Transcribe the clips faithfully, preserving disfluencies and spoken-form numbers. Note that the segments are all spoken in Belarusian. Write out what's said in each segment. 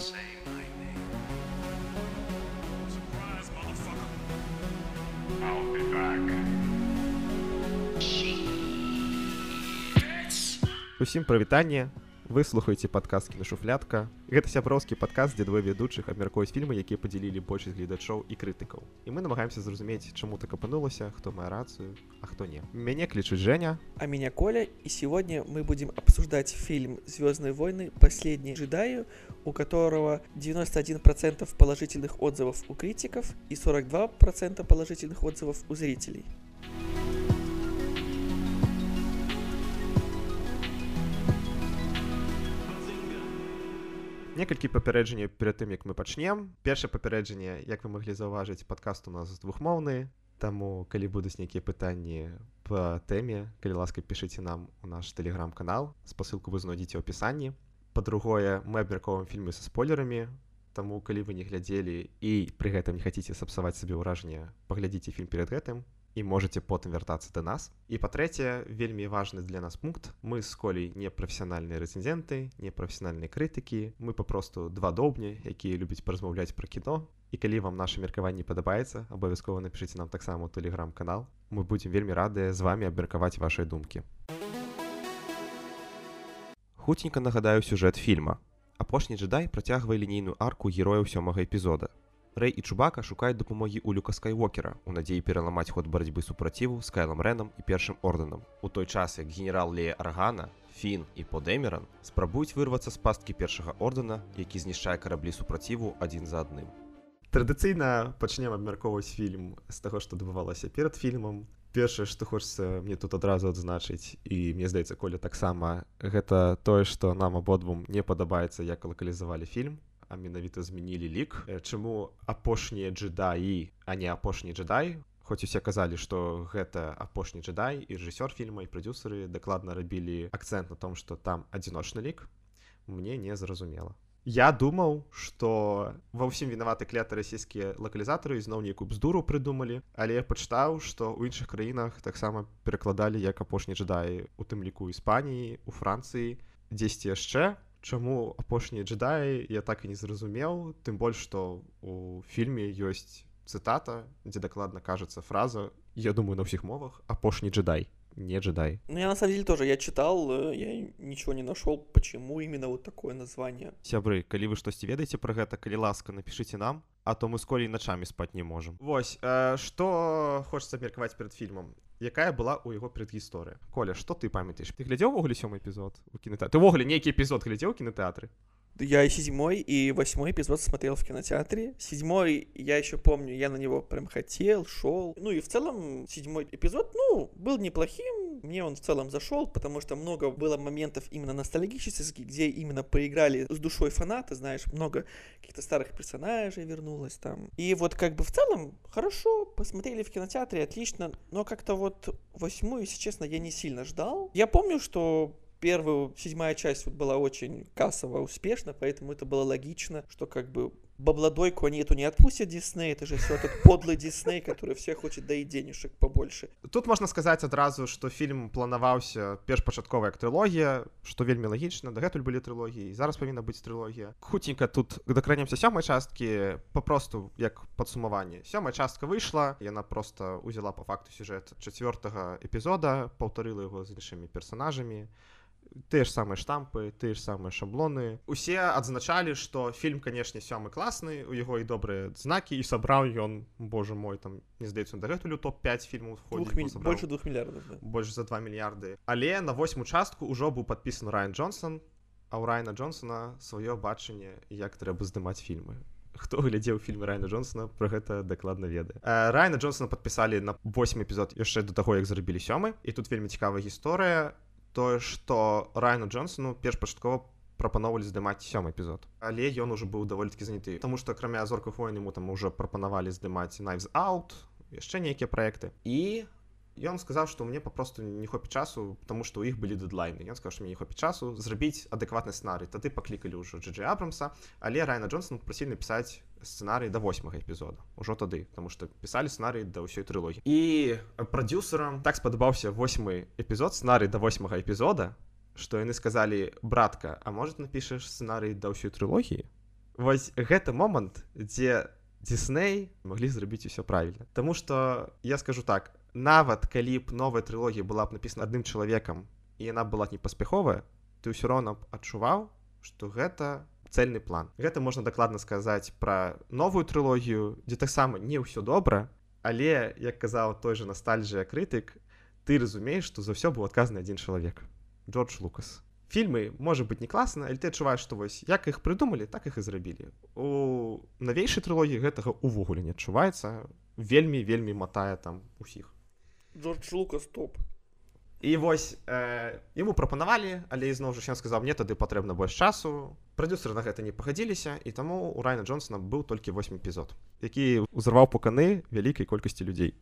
Say my name. Surprise, motherfucker. I'll be back. Усім прывітанне. Вы слухаеце падкаст «Кінашуфлятка». Гэта сяброўскі падкаст, дзе двое ведучых абмяркуюць фільмы, якія падзялілі большасць гледачоў і крытыкаў. І мы намагаемся зразумець, чаму так апынулася, хто мае рацыю, а хто не. Мяне клічуць Женя. А меня Коля, и сегодня мы будем обсуждать фильм «Звездные войны. Последние джедаи», у которого девяносто один процент положительных отзывов у критиков и сорок два процента положительных отзывов у зрителей. Некалькі папярэджанняў перад тым, як мы пачнем. Першае папярэджанне, як вы маглі заўважыць, падкаст у нас двухмоўны, таму калі будуць нейкія пытанні па тэме, калі ласка, пішыце нам у наш тэлеграм-канал, спасылку вы знойдзеце ў апісанні. Па-другое, мы абмяркоўваем фільмы са спойлерамі, таму калі вы не глядзелі і пры гэтым не хацеце сапсаваць сабе ўражанне, паглядзіце фільм перад гэтым і можаце потым вяртацца да нас. І па-трэцяе, вельмі важны для нас пункт. Мы з Колей не прафесіянальныя рэцэнзенты, не прафесіянальныя крытыкі. Мы папросту два доўбні, якія любяць паразмаўляць пра кіно. І калі вам наша меркаванне падабаецца, абавязкова напішыце нам таксама ў тэлеграм-канал. Мы будзем вельмі радыя з вамі абмеркаваць вашыя думкі. Хуценька нагадаю сюжэт фільма. Апошні джедай працягвае лінейную арку герояў сёмага эпізода. Рэй і Чубака шукаюць дапамогі ў Люка Скайуокера у надзеі пераламаць ход барацьбы супраціву з Кайлам Рэнам і першым ордэнам. У той час, як генерал Лея Аргана, Фін і По Дэмеран спрабуюць вырвацца з пасткі першага ордэна, які знішчае караблі супраціву адзін за адным. Традыцыйна пачнем абмяркоўваць фільм з таго, што адбывалася перад фільмам. Першае, што хочацца мне тут адразу адзначыць, і мне здаецца, Коля таксама, гэта тое, што нам абодвум не падабаецца, як лакалізавалі фільм, а менавіта змянілі лік. Чаму апошнія джедаі, а не апошні джедай? Хоць усе казалі, што гэта апошні джедай, і рэжысёр фільма, і прадзюсары дакладна рабілі акцэнт на том, што там адзіночны лік, мне не зразумела. Я думаў, што ва ўсім вінаваты кляты расійскія лакалізатары зноў нейкую бздуру прыдумалі, але я пачытаў, што ў іншых краінах таксама перакладалі як апошні джедай, у тым ліку Іспаніі, у Францыі, дзесьці яшчэ. Чаму апошнія джедаі, я так і не зразумеў, тым больш, што у фільме ёсць цытата, дзе дакладна кажется фраза, я думаю, на ўсіх мовах, апошні джедай, не джедай. Ну, я на самом деле тоже, я читал, я ничего не нашел, почему именно вот такое название. Сябры, калі вы штосьці ведаеце пра гэта, калі ласка, напішыце нам, а то мы з Колей начамі спаць не можам. Вось, э, што хочацца абмеркаваць перад фільмам? Якая была ў яго предгісторыя? Коля, што ты памятаеш? Ты глядзеў увогуле сёмы эпізод у кінотэатры? Ты увогуле нейкі эпізод глядзеў у кінотэатры? Я и седьмой, и восьмой эпизод смотрел в кинотеатре. Седьмой, я еще помню, я на него прям хотел, шел. Ну и в целом седьмой эпизод, ну, был неплохим. Мне он в целом зашел, потому что много было моментов именно ностальгических, где именно поиграли с душой фанаты, знаешь, много каких-то старых персонажей вернулось там. И вот как бы в целом хорошо, посмотрели в кинотеатре, отлично. Но как-то вот восьмую, если честно, я не сильно ждал. Я помню, что первая, седьмая часть вот была очень кассово успешна, поэтому это было логично, что как бы бабладойку они эту не отпустят Дисней, это же все этот подлый Дисней, который все хочет доить денежек побольше. Тут можна сказаць адразу, што фільм планаваўся першпачаткова як трылогія, што вельмі лагічна, дагэтуль былі трылогіі, зараз павінна быць трылогія. Хуценька тут дакранемся сёмай часткі, папросту як падсумаванне. Сёмая частка выйшла, яна проста узяла па факту сюжэт чацвёртага эпізода, паўтарыла яго з іншымі персанажамі. Тыя ж самыя штампы, тыя ж самыя шаблоны. Усе адзначалі, што фільм, канешне, сёмы класны, у яго і добрыя знакі, і сабраў ён, боже мой, там, не здаецца, дагэтуль у топ пяць фільмаў входзіць. Миль... Больше двух мільярдаў, да. Больш за два мільярды. Але на восьму частку ўжо быў падпісаны Райан Джонсон, а ў Райана Джонсона сваё бачанне, як трэба здымаць фільмы. Хто глядзеў фільмы Райана Джонсона, пра гэта дакладна ведае. Райана Джонсона падпісалі на восьмы эпізод яшчэ да таго, як зрабілі сёмы, і тут вельмі цікавая гісторыя. Тое, што Райану Джонсону першпачаткова прапаноўвалі здымаць сёмы эпізод. Але ён ужо быў даволі-такі заняты. Таму што акрамя «Зорках войн» яму там ужо прапанавалі здымаць «Knives Out», яшчэ нейкія праекты. І ён сказаў, што мне папросту не хопіць часу, таму што ў іх былі дэдлайны. Ён сказаў, што мне не хопіць часу зрабіць адэкватны сцэнарый. Тады паклікалі ўжо Джей Джей Абрамса, але Райана Джонсона прасілі напісаць сцэнарый да восьмага эпізода. Ужо тады, таму што пісалі сцэнарый да ўсёй трылогіі. І прадзюсарам так спадабаўся восьмы эпізод, сцэнарый да восьмага эпізода, што яны сказалі: «Братка, а можа напішаш сцэнарый да ўсёй трылогіі?» Вось гэты момант, дзе Дисней маглі зрабіць усё правільна. Таму што я скажу так, нават калі б новая трылогія была б напісана адным чалавекам і яна была не паспяховая, ты ўсё роўна адчуваў, што гэта цэльны план. Гэта можна дакладна сказаць пра новую трылогію, дзе таксама не ўсё добра, але, як казаў той же ностальжыя крытык, ты разумееш, што за ўсё быў адказаны адзін чалавек. Джордж Лукас. Фільмы, можа быць, не класна, але ты адчуваеш, што вось як іх прыдумалі, так іх і зрабілі. У навейшай трылогіі гэтага ўвогуле не адчуваецца. Вельмі-вельмі матае там усіх. Джордж Лукас топ. І вось э, яму прапанавалі, але ізноў жа ён сказаў, мне тады патрэбна больш часу. Прадюсеры на гэта не пагадзіліся, і таму у Райана Джонсона быў толькі восьмы эпізод, які ўзарваў пуканы вялікай колькасці людзей.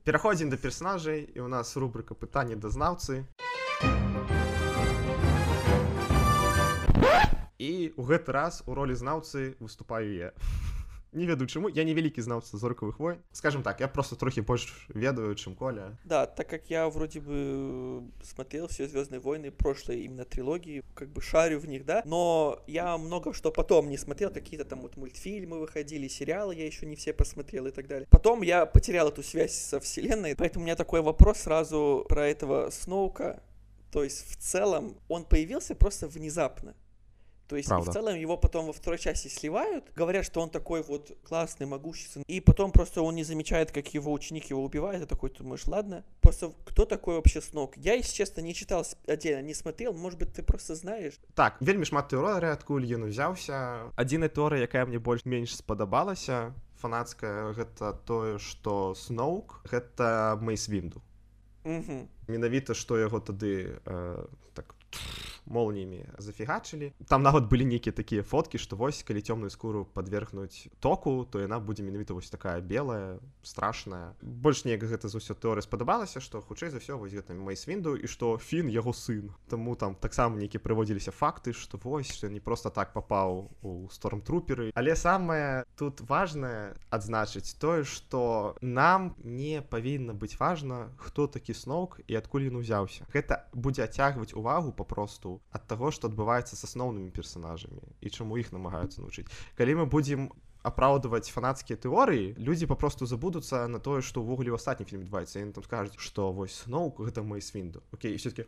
Пераходзім да персанажай, і ў нас рубрыка пытанні да знаўцы. І ў гэты раз у ролі знаўцы выступаю я. Не ведаю чаму, я не вялікі знаўца зоркавых войн. Скажем так, я просто трохі больш ведаю, чым Коля. Да, так как я вроде бы смотрел все «Звездные войны», прошлые именно трилогии, как бы шарю в них, да, но я много что потом не смотрел, какие-то там вот мультфильмы выходили, сериалы я еще не все посмотрел и так далее. Потом я потерял эту связь со вселенной, поэтому у меня такой вопрос сразу про этого Сноука. То есть в целом он появился просто внезапно. То есть и в целом его потом во второй части сливают, говорят, что он такой вот классный, могущественный, и потом просто он не замечает, как его ученик его убивает, и такой, ты думаешь, ладно, просто кто такой вообще Сноук? Я, если честно, не читал отдельно, не смотрел, может быть, ты просто знаешь. Так, вельмі шмат тэорый, адкуль ён узяўся. Адзіная тэорыя, якая мне больш-менш спадабалася, фанацкая, гэта тое, што Сноук — гэта Мейс Вінду. Угу. Менавіта, што яго тады э, так молниями зафігачылі. Там нават былі нейкія такія фоткі, што вось, калі цёмную скуру падвергнуць току, то яна будзе менавіта вось такая белая, страшная. Больш неяк гэта за ўсё тэорыя спадабалася, што хутчэй за ўсё вось гэта Мейс Вінду і што Фін яго сын. Таму там таксама нейкія прыводзіліся факты, што вось, што не проста так папаў у Стормтруперы. Але самае тут важнае адзначыць тое, што нам не павінна быць важна, хто такі Сноук і адкуль ён узяўся. Гэта будзе адцягваць увагу папросту ад таго, што адбываецца з асноўнымі персанажамі і чаму іх намагаюцца навучыць. Калі мы будзем апраўдваць фанацкія тэорыі, людзі папросту забудуцца на тое, што ўвогуле ў астатнім фільме адбываецца. Яны там скажуць, што вось Сноук — гэта Мейс Вінду. Окей, і все такі: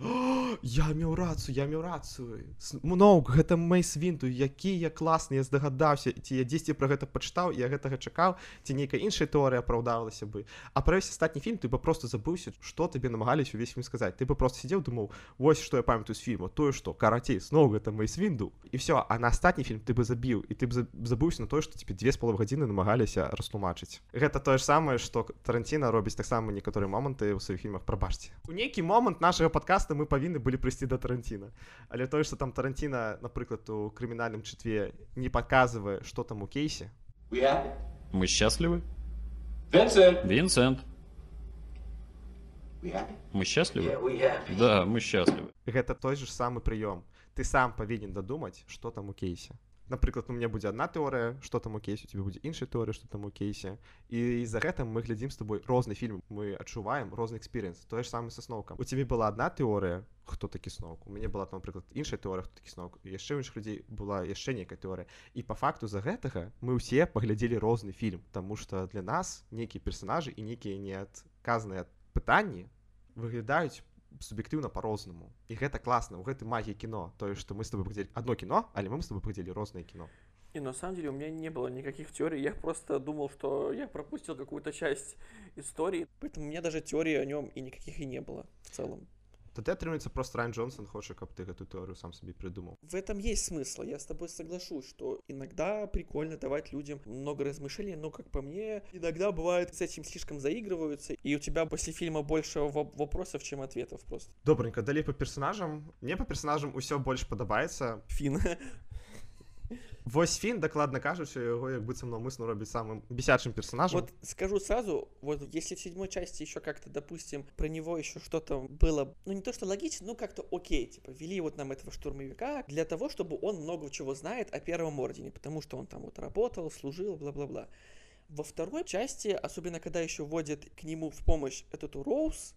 я меў рацыю, я меў рацыю. Сноук — гэта Мейс Вінду, які я класны, я здагадаўся, ці я дзесьці пра гэта пачытаў, я гэтага чакаў, ці нейкая іншая тэорыя апраўдалася бы. А пра ўвесь астатні фільм ты бы проста забыўся, што табе намагаліся ўвесь фільм сказаць. Ты бы проста сидзеў, думаў, вось што я памятаю з фільма, тое, што карацей, Сноук — гэта Мейс Вінду. І все, а на астатні фільм ты бы забіў, і ты б забыўся на тое, што тебе две з паловай гадзіны намагаліся растлумачыць. Гэта тое ж самае, што Таранціна робіць таксама некаторыя моманты ў сваіх фільмах. Прабачце. У нейкі момант нашага падкаста мы павінны былі прыйсці да Таранціна. Але тое, што там Таранціна, напрыклад, у крымінальным чытве не паказвае, што там у кейсе. Мы счастливы? Винсент! Винсент! Мы счастливы? Да, мы счастливы. Гэта той же самы прыём. Ты сам павінен дадумаць, што там у кейсе. Напрыклад, у мяне будзе адна тэорыя, што там у кейсе, у тебе будзе іншая тэорыя, што там у кейсе. І за гэтым мы глядзім з тобой розны фільм, мы адчуваем розны экспірыенс. Тое ж самае са Сноукам. У тебе была адна тэорыя, хто такі Сноук. У мяне была, напрыклад, іншая тэорыя, хто такі Сноук. І яшчэ ў іншых людзей была яшчэ нейкая тэорыя. І па факту за гэтага мы ўсе паглядзелі розны фільм, таму што для нас нейкія персанажы і нейкія неадказныя пытанні выглядаюць суб'ектыўна па-рознаму. І гэта класна, у гэтай магіі кіно. Тое, што мы з тобой паглядзелі адно кіно, але мы з тобой паглядзелі рознае кіно. И на самом деле у меня не было никаких теорий, я просто думал, что я пропустил какую-то часть истории, поэтому у меня даже теории о нем и никаких и не было в целом. Тады атрымаецца просто Райан Джонсон хоча, каб ты гэту тэорыю сам сабе придумал. В этом есть смысл, я с тобой соглашусь, что иногда прикольно давать людям много размышлений, но, как по мне, иногда бывает с этим слишком заигрываются, и у тебя после фильма больше вопросов, чем ответов просто. Добренько, далей по персонажам. Мне по персонажам усё больш падабаецца. Фін. Вось Фін, дакладна кажучы, яго як быццам наўмысна робіць самым бесячым персонажем. Вот скажу сразу, вот если в седьмой части еще как-то, допустим, про него еще что-то было, ну не то что логично, но как-то окей, типа вели вот нам этого штурмовика для того, чтобы он много чего знает о Первом Ордене, потому что он там вот работал, служил, бла-бла-бла. Во второй части, особенно когда еще вводят к нему в помощь эту Роуз,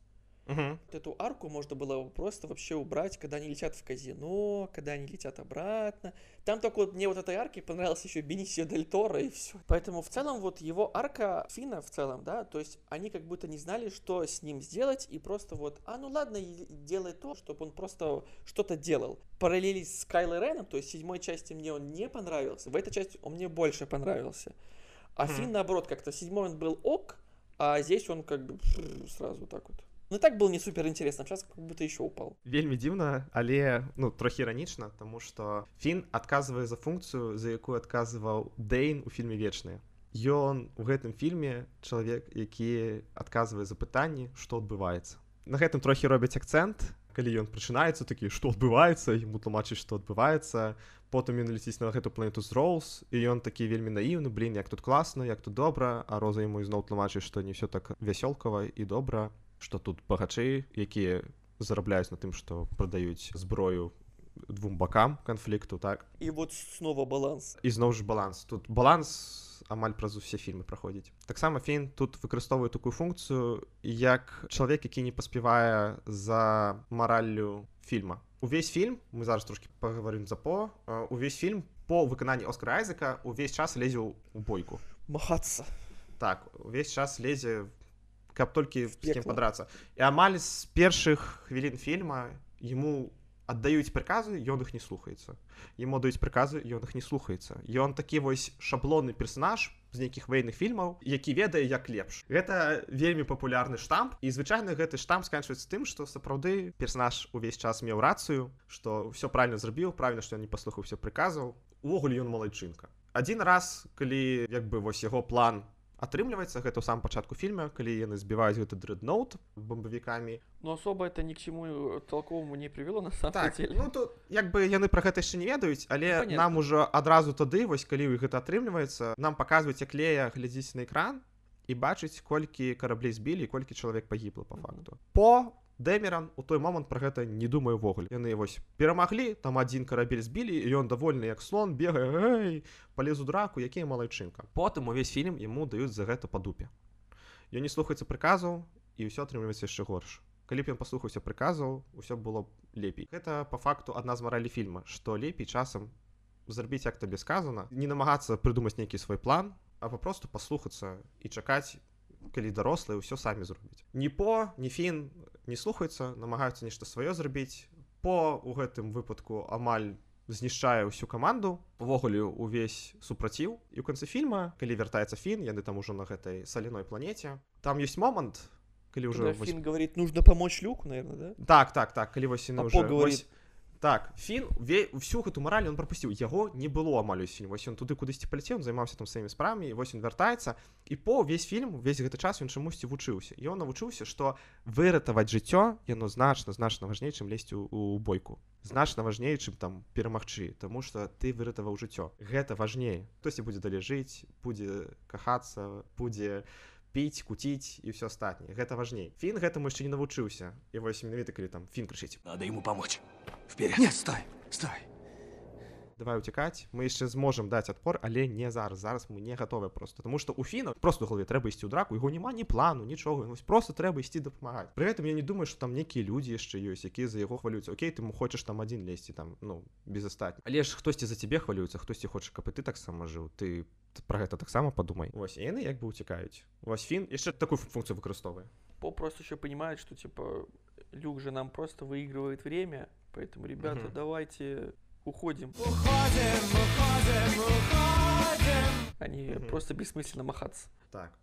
Угу. Вот эту арку можно было просто вообще убрать, когда они летят в казино, когда они летят обратно. Там только вот мне вот этой арке понравился еще Бенисио Дель Торо и все. Поэтому в целом вот его арка Финна в целом, да, то есть они как будто не знали, что с ним сделать, и просто вот, а ну ладно, делай то, чтобы он просто что-то делал. Параллели с Кайло Реном, то есть в седьмой части мне он не понравился, в этой части он мне больше понравился. А mm-hmm. Финн, наоборот, как-то в седьмой он был ок, а здесь он как бы сразу так вот. Ну і так было не супер интересно, сейчас как будто еще упал. Вельмі дзіўна, але ну трохі іранічна, тому што Фін адказвае за функцыю, за якую адказваў Дэйн у фільме Вечныя. Ён у гэтым фільме чалавек, які адказвае за пытанні, што адбываецца. На гэтым трохі робяць акцэнт, калі ён прачынаецца такі, што адбываецца, яму тлумачыць, што адбываецца. Потым ён ляціць на гэту планету з Роуз, і ён такі вельмі наіўны, блін, як тут класна, як тут добра, а Роза яму ізноў тлумачыць, што не ўсё так вясёлкава і добра. Што тут багачы, якія зарабляюць на тым, што прадаюць зброю двум бакам канфлікту, так? І вот снова баланс. І зноў ж баланс. Тут баланс амаль праз усе фільмы праходзіць. Таксама Фін тут выкарыстоўвае такую функцыю, як чалавек, які не паспявае за мараллю фільма. Увесь фільм, мы зараз трошкі пагаварым за По, увесь фільм по выкананні Оскара Айзека увесь час лезе ў бойку. Махацца. Так, увесь час лезе каб толькі з кім падрацца. І амаль з першых хвілін фільма яму аддаюць прыказы, ён іх не слухаецца. Яму даюць прыказы, ён іх не слухаецца. Ён такі вось шаблонны персанаж з нейкіх ваенных фільмаў, які ведае як лепш. Гэта вельмі папулярны штамп, і звычайна гэты штамп сканчваецца тым, што сапраўды персанаж увесь час меў рацыю, што ўсё правільна зрабіў, правільна, што ён не паслухаўся прыказаў. Увогуле ён малайчынка. Адзін раз, калі як бы вось яго план атрымліваецца, гэта ў самым пачатку фільма, калі яны збіваюць гэты дрэдноут бомбавікамі. Ну асоба это ні к чаму толковому не прывяло на самом так, деле. Ну то як бы яны пра гэта яшчэ не ведаюць, але ну, нам ужо адразу тады, вось калі гэта атрымліваецца, нам паказваюць, як Лея глядзіць на экран і бачыць, колькі караблей збілі і колькі чалавек пагібла па факту. Mm-hmm. По Дэмеран у той момант пра гэта не думае ўвогуле. Яны вось перамаглі, там адзін карабель збілі, і ён давольны як слон, бегае, эй, палез у драку, якія малайчынка. Потым увесь фільм яму даюць за гэта па дупе. Ён не слухаецца прыказаў, і ўсё атрымліваецца яшчэ горш. Калі б ён паслухаўся прыказаў, усё было б лепей. Гэта па факту адна з маралі фільма, што лепей часам зрабіць, як табе сказана, не намагацца прыдумаць нейкі свой план, а папросту паслухацца і чакаць, калі дарослыя ўсё самі зробяць. Ні По, ні Фін не слухаюцца, намагаюцца нешта сваё зрабіць. По у гэтым выпадку амаль знішчае ўсю каманду, увогуле увесь супраціў. І ў канцы фільма, калі вяртаецца Фін, яны там ужо на гэтай саляной планеце, там ёсць момант, калі ўжо... Когда Фін говорит, нужно помочь Люку, наверное, да? Так, так, так, калі вось яны а ўжо... По говорит... Так, Фін всю гэту мараль ён прапусціў, яго не было амаль увесь фільм. Вось ён туды кудысьці паляцеў, займаўся там сваімі справамі, і вось ён вяртаецца, і по ўвесь фільм, увесь гэты час ён чамусьці вучыўся. І ён навучыўся, што выратаваць жыццё, яно значна, значна важней, чым лезть у, у бойку. Значна важней, чым там перамагчы, таму што ты выратаваў жыццё. Гэта важней. Хтосьці будзе далей жыць, будзе кахацца, будзе піць, куціць і ўсё астатняе. Гэта важней. Фін гэтаму яшчэ не навучыўся. І вось менавіта калі там Фін крычыць: «Надо ему помочь. Вперед!» «Нет, стой, стой!» Давай уцякаць, мы яшчэ зможам даць адпор, але не зараз. Зараз мы не гатовыя просто. Таму што ў Фіна просто ў галаве трэба ісці ў драку, яго няма ні плану, нічога. Вось просто трэба ісці дапамагаць. Пры гэтым я не думаю, што там нейкія людзі яшчэ ёсць, якія за яго хвалююцца. Окей, ты хочаш там адзін лезці, там, ну, без астатніх. Але ж хтосьці за цябе хвалюецца, хтосьці хоча, каб і ты таксама жыў. Ты пра гэта таксама падумай. Вось, і яны як бы уцякаюць. Вось Фін яшчэ такую функцию выкарыстоўвае. По просто еще понимает, что типа Люк же нам просто выигрывает время, поэтому, ребята, mm-hmm. давайте уходим. Уходим, уходим, уходим. Они mm-hmm. просто бессмысленно махаться. Так.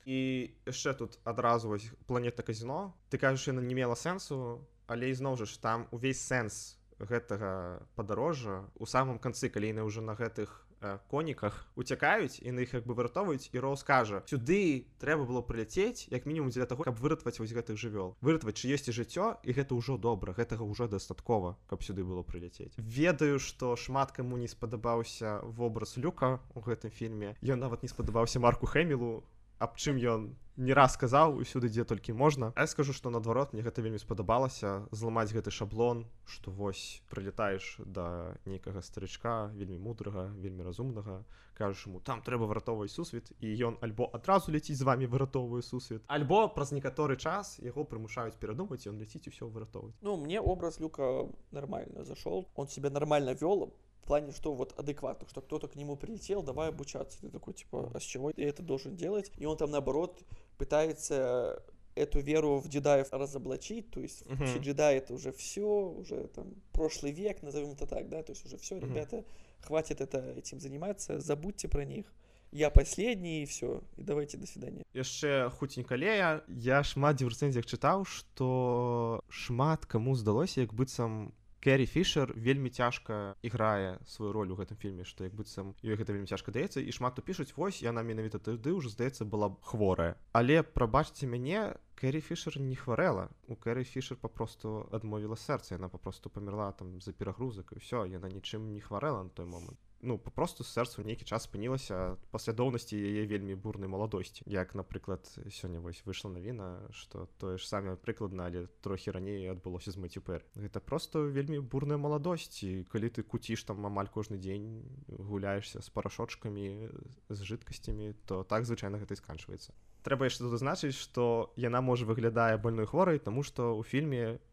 І яшчэ тут адразу вось планета казино. Ты кажаш, яна не мела сэнсу, але ізноў жа ж там увесь сэнс гэтага падарожжа у самым канцы, калі яны ўжо на гэтых э, коніках уцякаюць і на іх як бы выратоўваюць, і Роуз кажа: сюды трэба было прыляцець як мінімум дзеля таго, каб выратаваць вось гэтых жывёл. Выратаваць чыёсьці жыццё, і гэта ўжо добра, гэтага ўжо дастаткова, каб сюды было прыляцець. Ведаю, што шмат каму не спадабаўся вобраз Люка ў гэтым фільме. Ён нават не спадабаўся Марку Хэмілу, аб чым ён не раз сказаў усюды, дзе толькі можна. А я скажу, што наадварот, мне гэта вельмі спадабалася, зламаць гэты шаблон, што вось прылетаеш да нейкага старычка, вельмі мудрага, вельмі разумнага, кажаш ему, там трэба выратоўваць сусвет, і ён альбо адразу ляціць з вамі выратоўвае сусвет, альбо праз некаторы час яго прымушаюць перадумаць, і ён ляціць і ўсё выратоўваць. Ну, мне образ Люка нормально зашел, он себя нормально вел, в плане, что вот адекватно, что кто-то к нему прилетел, давай обучаться. Ты такой, типа, а с чего я это должен делать? И он там, наоборот, пытается эту веру в джедаев разоблачить, то есть uh-huh. вообще джедаи это уже все, уже там прошлый век, назовем это так, да, то есть уже все, uh-huh. ребята, хватит это, этим заниматься, забудьте про них. Я последний, и все, и давайте, до свидания. Яшчэ хуценька Лея, я шмат дзе ў рэцэнзіях чытаў, што шмат каму здалося, як быццам Кэрри Фішер вельмі цяжка іграе сваю роль у гэтым фільме, што як быццам ёй гэта вельмі цяжка даецца, і шмат хто пішуць, вось яна менавіта тады ўжо, здаецца, была хворая. Але, прабачце мяне, Кэрри Фішер не хварэла. У Кэрри Фішер папросту адмовіла сэрца, яна папросту памерла там за перагрузак, і ўсё, яна нічым не хварэла на той момант. Ну, папросту сэрца ў нейкі час спынілася паслядоўнасці яе вельмі бурнай маладосці. Як, напрыклад, сёння вось выйшла навіна, што тое ж самае прыкладна, але трохі раней адбылося з Мэццю Пэрі. Гэта проста вельмі бурная маладосць, і калі ты куціш там амаль кожны дзень, гуляешся з парашочкамі, з жидкасцямі, то так звычайна гэта і сканчваецца. Трэба яшчэ тут зазначыць, што яна можа выглядае больной хворай, таму што ў фільме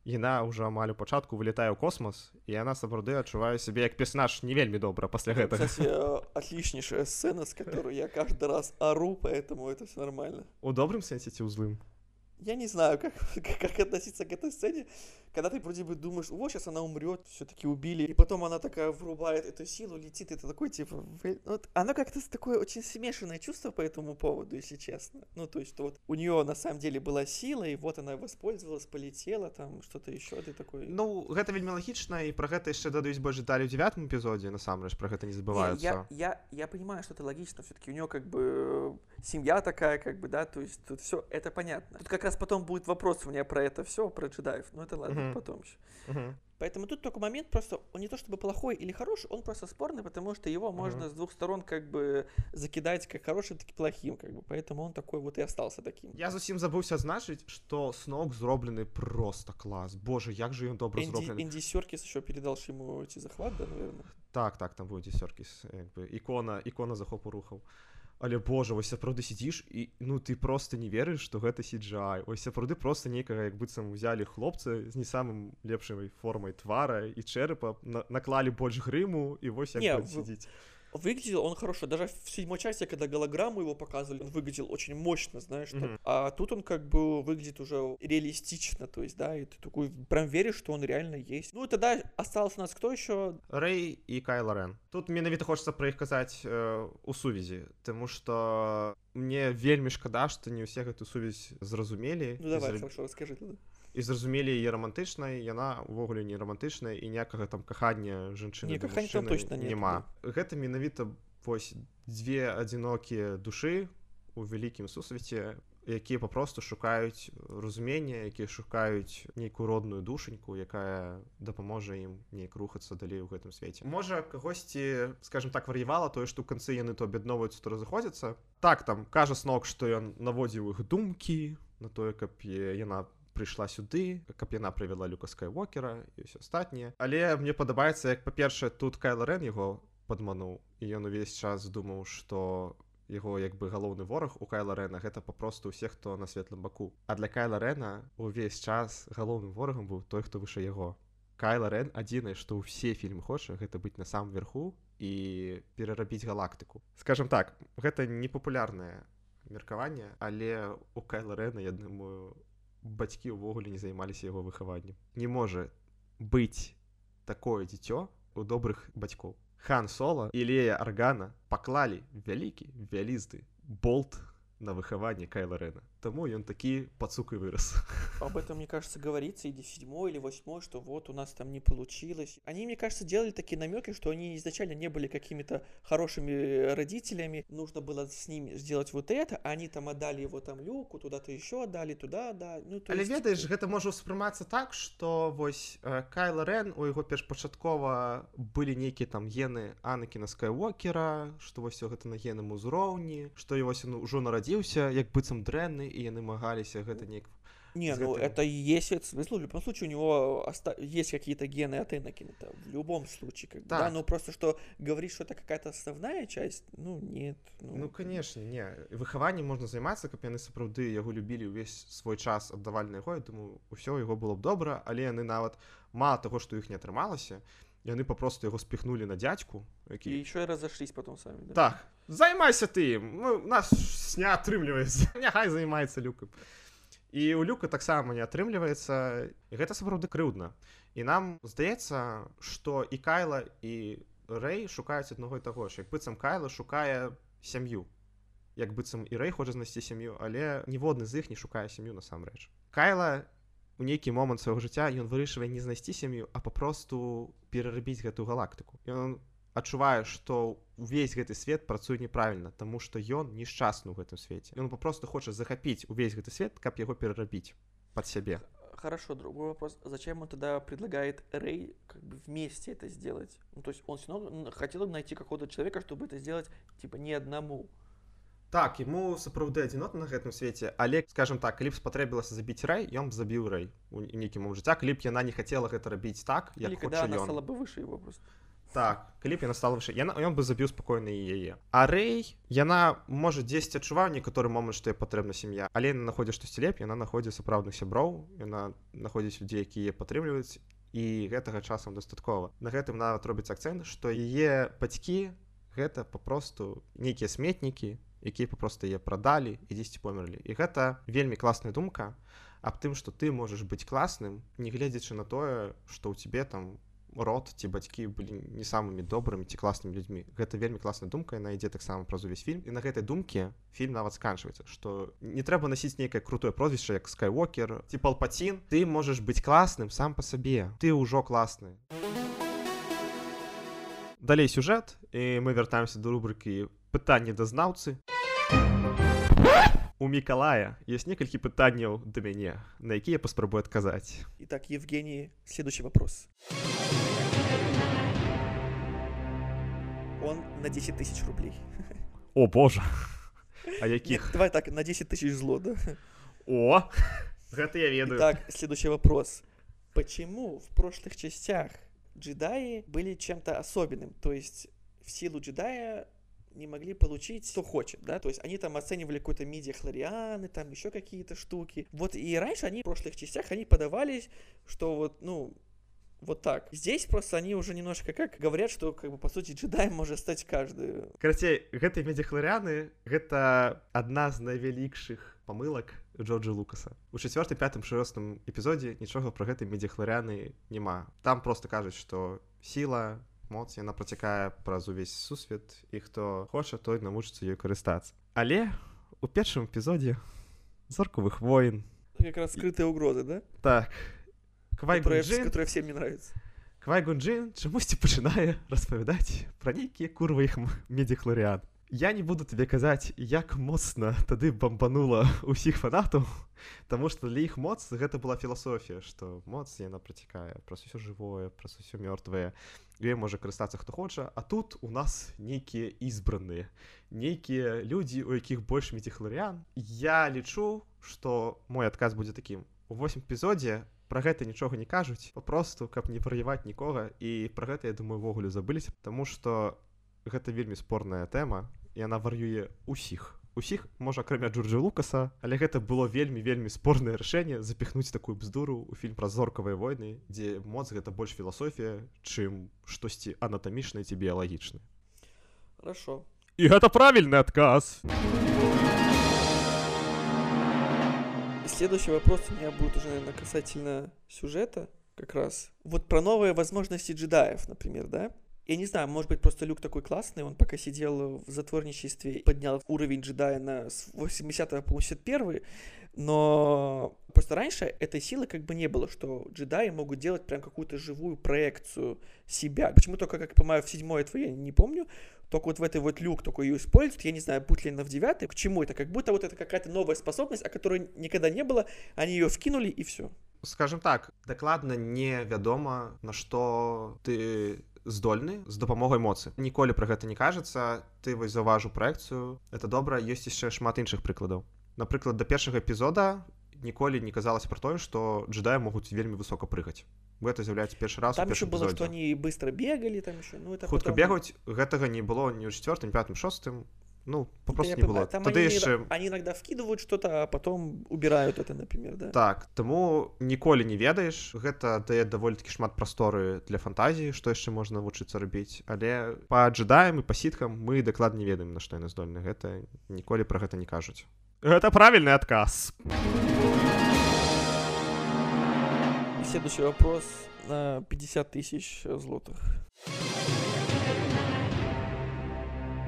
яна ўжо амаль у пачатку вылетае ў космос, і яна сапраўды адчувае сябе як персонаж не вельмі добра пасля гэтага. Кстати, отличнейшая сцена, с которой я каждый раз ору, поэтому это все нормально. У добрым сэнсе ці ў злым? Я не знаю, как, как относиться к этой сцене, когда ты вроде бы думаешь, вот сейчас она умрет, все-таки убили, и потом она такая врубает эту силу, летит, это такой типа, вот, оно как-то такое очень смешанное чувство по этому поводу, если честно. Ну, то есть, что вот у нее на самом деле была сила, и вот она воспользовалась, полетела, там что-то еще, ты такой... Ну, гэта вельмі лагічна, і про гэта яшчэ дадаюць больш дэталей у девятым эпизоде, насамрэч, про гэта не забываются. Не, я, я, я понимаю, что это логично, все-таки у нее как бы семья такая, как бы, да, то есть тут все это понятно. Тут как раз потом будет вопрос у меня про это все, про джедаев, но это ладно, uh-huh. потом еще. Uh-huh. Поэтому тут только момент просто, он не то чтобы плохой или хороший, он просто спорный, потому что его uh-huh. можно с двух сторон как бы закидать как хорошим, так и плохим, как бы, поэтому он такой вот и остался таким. Я зусім забыўся адзначыць, што Сноук зроблены просто клас. Боже, як же ён добра Энди, зроблены. Энди Серкис еще передал ему эти захват, да, наверное? Так, так, там быў Энди Серкис, як бы, ікона, ікона захопу рухаў. Але, боже, вось сапраўды сидзіш і, ну, ты просто не верыш, што гэта си джи ай. Вось сапраўды просто нейкага, як быццам узялі хлопца з не самым лепшай формай твара і чэрапа, на- наклалі больш грыму, і вось як Не, ён в- сидзіць. Выглядел он хорошо, даже в седьмой части, когда голограмму его показывали, он выглядел очень мощно, знаешь, так. Мгм. А тут он как бы выглядит уже реалистично, то есть, да, и ты такой прям веришь, что он реально есть. Ну и тогда остался у нас кто еще? Рэй і Кайла Рен. Тут менавіта хочацца пра іх казаць э, у сувязі, таму што мне вельмі шкада, што не ўсе гэту сувязь зразумелі. Ну давай, і, зра... хорошо, расскажи тогда. і зразумелі яе рамантычнай, яна ўвогуле не рамантычная і ніякага там кахання жанчыны Не, да кахання там мужчыны точно нет, няма. Гэта менавіта вось дзве адзінокія душы у вялікім сусвеце, якія папросту шукаюць разумення, якія шукаюць нейкую родную душаньку, якая дапаможа ім неяк рухацца далей у гэтым свеце. Можа, кагосьці, скажем так, вар'явала тое, што ў канцы яны то аб'ядноўваюцца, то разыходзяцца. Так, там, кажа Сноук, што ён наводзіў іх думкі на тое, каб яна прыйшла сюды, каб яна прывяла Люка Скайуокера і ўсё астатняе. Але мне падабаецца, як, па-першае, тут Кайла Рен яго падмануў, і ён увесь час думаў, што яго як бы галоўны вораг у Кайла Рена гэта папросту ўсе, хто на светлым баку. А для Кайла Рена увесь час галоўным ворагам быў той, хто выше яго. Кайла Рен адзінае, што ўсе фільмы хоча, гэта быць на самым верху і перарабіць галактыку. Скажем так, гэта непапулярнае меркаванне, але у Кайла Рена, я думаю, бацькі ўвогуле не займаліся яго выхаваннем. Не можа быць такое дзіцё у добрых бацькоў. Хан Соло і Лея Аргана паклалі вялікі, вялізны болт на выхаванне Кайла Рена. Таму ён такі пацук и вырос. Об этом, мне кажется, говорится или в седьмой, или восьмой, что вот у нас там не получилось. Они, мне кажется, делали такие намеки, что они изначально не были какими-то хорошими родителями. Нужно было с ними сделать вот это, а они там отдали его там Люку, туда-то еще отдали, туда, да. Ну, то Але есть... ведаеш, гэта можа ўспрымацца так, што вось э, Кайла Рен, у яго першпачаткова былі нейкія там гены Анакіна Скайуокера, што вось гэта на генным узроўні, што і вось ён ужо нарадзіўся нарадзіўся як быццам дрэнны, і яны магаліся гэта неяк. Не, ну это и есть этот смысл. В любом случае у него оста... есть какие-то гены от Энакина. В любом случае. Как бы, да. да, ну просто что говорить, что это какая-то основная часть, ну нет. Ну, ну конечно, не. Выхаваннем можна займацца, каб яны сапраўды яго любілі ўвесь свой час, аддавалі на яго. Я думаю, усё яго было б добра, але яны нават мало таго, што іх не атрымалася, яны папросту яго спіхнулі на дзядзьку, які... І еще и разошлись потом сами, да? Так, займайся ты ім, ну, нас не атрымліваецца, няхай займаецца Люкам. І у Люка таксама не атрымліваецца, і гэта сапраўды крыўдна. І нам здаецца, што і Кайла, і Рэй шукаюць аднаго і таго ж. Як быццам Кайла шукае сям'ю. Як быццам і Рэй хоча знайсці сям'ю, але ніводны з іх не шукае сям'ю насамрэч. Кайла у нейкі момант свайго жыцця ён вырашывае не знайсці сям'ю, а папросту перарабіць гэтую галактыку. Ён адчувае, што увесь гэты свет працуе неправільна, таму што ён нешчасны ў гэтым свеце. Ён папросту хоча захапіць увесь гэты свет, каб яго перарабіць пад сябе. Хорошо, другой вопрос. Зачем он тогда предлагает Рэй как бы вместе это сделать? Ну, то есть он все равно хотел бы найти какого-то человека, чтобы это сделать типа не одному. Так, ему сапраўды адзінотна на гэтым свеце, але, скажем так, калі б спатрэбілася забіць Рэй, ён б забіў Рэй у нейкім момант жыцця, калі б яна не хацела гэта рабіць так, як Или хоча когда она ён. стала бы выше его просто. Так, калі б яна стала выше, яна, ён бы забіў спакойна і яе. А Рэй, яна, можа, дзесьці адчуваў некаторы момант, што ёй патрэбна сям'я, але яна знаходзіць штосьці лепш, яна знаходзіць сапраўдных сяброў, яна знаходзіць людзей, якія яе падтрымліваюць, і гэтага часам дастаткова. На гэтым нават робіцца акцэнт, што яе бацькі гэта папросту нейкія сметнікі, якія папросту яе прадалі і дзесьці померлі. І гэта вельмі класная думка аб тым, што ты можаш быць класным, не гледзячы на тое, што ў цябе там род ці бацькі былі не самымі добрымі ці класнымі людзьмі. Гэта вельмі класная думка, яна ідзе таксама праз увесь фільм. І на гэтай думке фільм нават сканчваецца, што не трэба насіць нейкае крутое прозвішча, як Скайуокер ці Палпацін. Ты можаш быць класным сам па сабе. Ты ўжо класны. Далей сюжэт, і мы вяртаемся да рубрыкі «Пытанні да знаўцы». У Мікалая ёсць некалькі пытанняў да мяне, на якія я паспрабую адказаць. Итак, Евгений, следующий вопрос. Он на десять тысяч рублей. О, боже. А якіх? Нет, давай так, на десять тысяч зло, да? О, гэта я ведаю. Итак, следующий вопрос. Почему в прошлых частях джедаи были чем-то особенным? То есть в силу джедая не могли получить, что хочет, да, то есть они там оценивали какой-то мидиахлорианы, там еще какие-то штуки. Вот и раньше они в прошлых частях, они подавались, что вот, ну, вот так. Здесь просто они уже немножко как говорят, что, как бы, по сути, джедаем может стать каждый. Карацей, гэтыя мидиахлорианы, гэта одна з найвялікшых памылак Джорджа Лукаса. У чацвёртым, пятым, шостым эпізодзе нічога пра гэтыя мидиахлорианы няма. Там просто кажуць, што сіла, моц, яна працякае праз увесь сусвет, і хто хоча, той навучыцца ёй карыстацца. Але у першым эпізодзе «Зорковых войн» как раз скрытые угрозы, да? Так. Квай-Гун Джин, которые всем не нравятся. Квай-Гун Джин чамусьці пачынае распавядаць пра нейкія курва іх мидиахлориан. Я не буду табе казаць, як моцна тады бамбанула ўсіх фанатаў, таму што для іх моц гэта была філасофія, што моц яна працякае праз усё жывое, праз усё мёртвае. Ёй можа карыстацца хто хоча, а тут у нас нейкія ізбраныя, нейкія людзі, у якіх больш мидиахлориан. Я лічу, што мой адказ будзе такім. У восьмым эпізодзе пра гэта нічога не кажуць, папросту, каб не праяваць нікога, і пра гэта, я думаю, увогуле забыліся, таму што гэта вельмі спорная тэма, і яна вар'юе усіх. Усіх, можа, акрамя Джорджа Лукаса, але гэта было вельмі-вельмі спорнае рашэнне запіхнуць такую бздуру ў фільм пра зоркавыя войны, дзе моц гэта больш філасофія, чым штосьці анатамічнае ці біялагічнае. Хорошо. І гэта правільны адказ. Следующий вопрос у меня будет уже, наверное, касательно сюжета как раз. Вот про новые возможности джедаев, например, да? Я не знаю, может быть, просто Люк такой классный, он пока сидел в затворничестве, поднял уровень джедая на восьмидесятый, по восемьдесят первый, но просто раньше этой силы как бы не было, что джедаи могут делать прям какую-то живую проекцию себя. Почему только, как я понимаю, в седьмой этого я не помню, только вот в этой вот Люк такой ее использует, я не знаю, будет ли она в девятой, к чему это, как будто вот это какая-то новая способность, о которой никогда не было, они ее вкинули и все. Скажем так, дакладна невядома, на што ты здольны з дапамогай моцы. Ніколі пра гэта не кажацца, ты вось заўважыў праекцыю, это добра, ёсць яшчэ шмат іншых прыкладаў. Напрыклад, да першага эпізода ніколі не казалася пра тое, што джедаі могуць вельмі высока прыгаць. Гэта з'яўляецца першы раз там у першым эпізодзе. Там ещё было, эпізодзе. што они быстро бегалі, там ещё, ну это хутка потом... бегаць, гэтага не было ні ў чацвёртым, пятым, шостым. Ну, попросту да, не было. Там Тады они, яшчэ... они иногда вкидывают что-то, а потом убирают это, например, да. Так, таму ніколі не ведаеш, гэта дае даволі-такі шмат прасторы для фантазіі, што яшчэ можна навучыцца рабіць, але па джедаям і па сіткам мы дакладна не ведаем, на што яны здольны. Гэта ніколі пра гэта не кажуць. Гэта правільны адказ. Следующий вопрос на пятьдесят тысяч злотых.